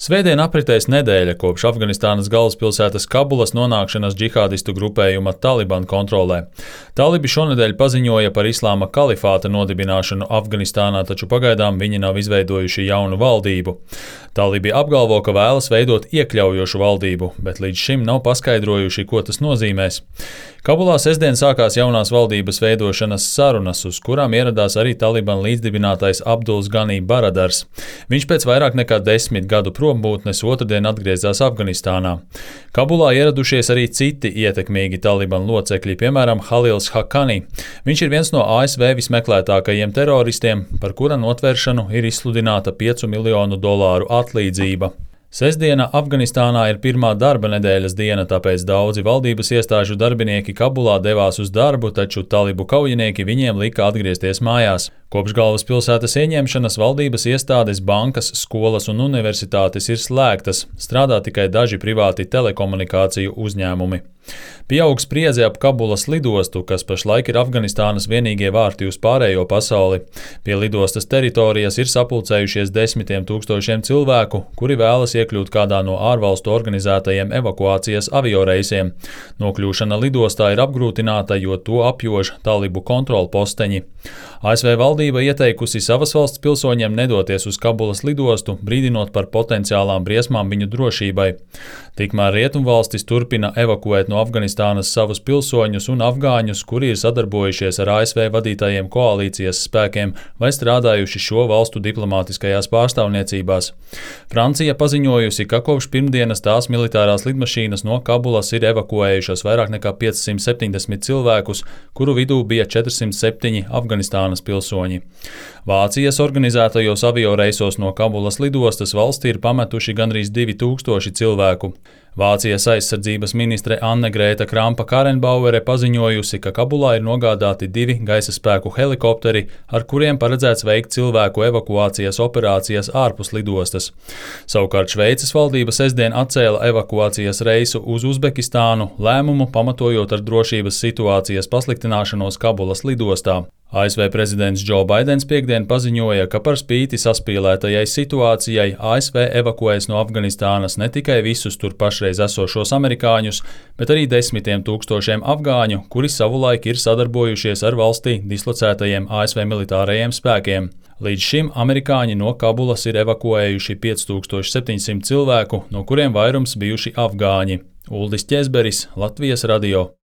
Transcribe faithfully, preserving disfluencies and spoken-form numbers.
Svētdien apritēs nedēļa kopš Afganistānas galvaspilsētas Kabulas nonākšanas džihādistu grupējuma Taliban kontrolē. Talibi šonedēļ paziņoja par islāma kalifāta nodibināšanu Afganistānā, taču pagaidām viņi nav izveidojuši jaunu valdību. Talibi apgalvo, ka vēlas veidot iekļaujošu valdību, bet līdz šim nav paskaidrojuši, ko tas nozīmēs. Kabulā sestdien sākās jaunās valdības veidošanas sarunas, uz kurām ieradās arī Taliban līdzdibinātais Abduls Ganī Baradars. Viņš pēc vairāk nekā desmit gadu prombūtnes otrdien atgriezās Afganistānā. Kabulā ieradušies arī citi ietekmīgi Taliban locekļi, piemēram, Halils Hakani. Viņš ir viens no A S V vismeklētākajiem teroristiem, par kura notvēršanu ir izsludināta piecu miljonu dolāru atlīdzība. Sestdiena Afganistānā ir pirmā darba nedēļas diena, tāpēc daudzi valdības iestāžu darbinieki Kabulā devās uz darbu, taču talibu kaujinieki viņiem lika atgriezties mājās. Kopš galvaspilsētas ieņemšanas valdības iestādes, bankas, skolas un universitātes ir slēgtas, strādā tikai daži privāti telekomunikāciju uzņēmumi. Pieaug spriedze ap Kabulas lidostu, kas pašlaik ir Afganistānas vienīgie vārti uz pārējo pasauli. Pie lidostas teritorijas ir sapulcējušies desmitiem tūkstošiem cilvēku, kuri vēlas iekļūt kādā no ārvalstu organizētajiem evakuācijas avioreisiem. Nokļūšana lidostā ir apgrūtināta, jo to apjož talibu kontrolposteņi. A S V valdība ieteikusi savas valsts pilsoņiem nedoties uz Kabulas lidostu, brīdinot par potenciālām briesmām viņu drošībai. Tikmēr rietumvalstis turpina evakuēt no Afganistānas savus pilsoņus un afgāņus, kuri ir sadarbojušies ar A S V vadītajiem koalīcijas spēkiem vai strādājuši šo valstu diplomātiskajās pārstāvniecībās. Francija paziņojusi, ka kopš pirmdienas tās militārās lidmašīnas no Kabulas ir evakuējušas vairāk nekā piecsimt septiņdesmit cilvēkus, kuru vidū bija četrsimt septiņi Afganistānas pilsoņi. Vācijas organizētajos avioreisos no Kabulas lidostas valstī ir pametuši gandrīz divi tūkstoši cilvēku. Vācijas aizsardzības ministre Anne Grēta Krampa-Karenbauere paziņojusi, ka Kabulā ir nogādāti divi gaisa spēku helikopteri, ar kuriem paredzēts veikt cilvēku evakuācijas operācijas ārpus lidostas. Savukārt Šveices valdība sestdien atcēla evakuācijas reisu uz Uzbekistānu, lēmumu pamatojot ar drošības situācijas pasliktināšanos Kabulas lidostā. A S V prezidents Džo Baidens piekdien paziņoja, ka par spīti saspīlētajai situācijai A S V evakuēs no Afganistānas ne tikai visus tur pašreiz esošos amerikāņus, bet arī desmitiem tūkstošiem afgāņu, kuri savulaik ir sadarbojušies ar valstī dislocētajiem A S V militārajiem spēkiem. Līdz šim amerikāņi no Kabulas ir evakuējuši pieci tūkstoši septiņsimt cilvēku, no kuriem vairums bijuši afgāņi. Uldis Ķezberis, Latvijas radio.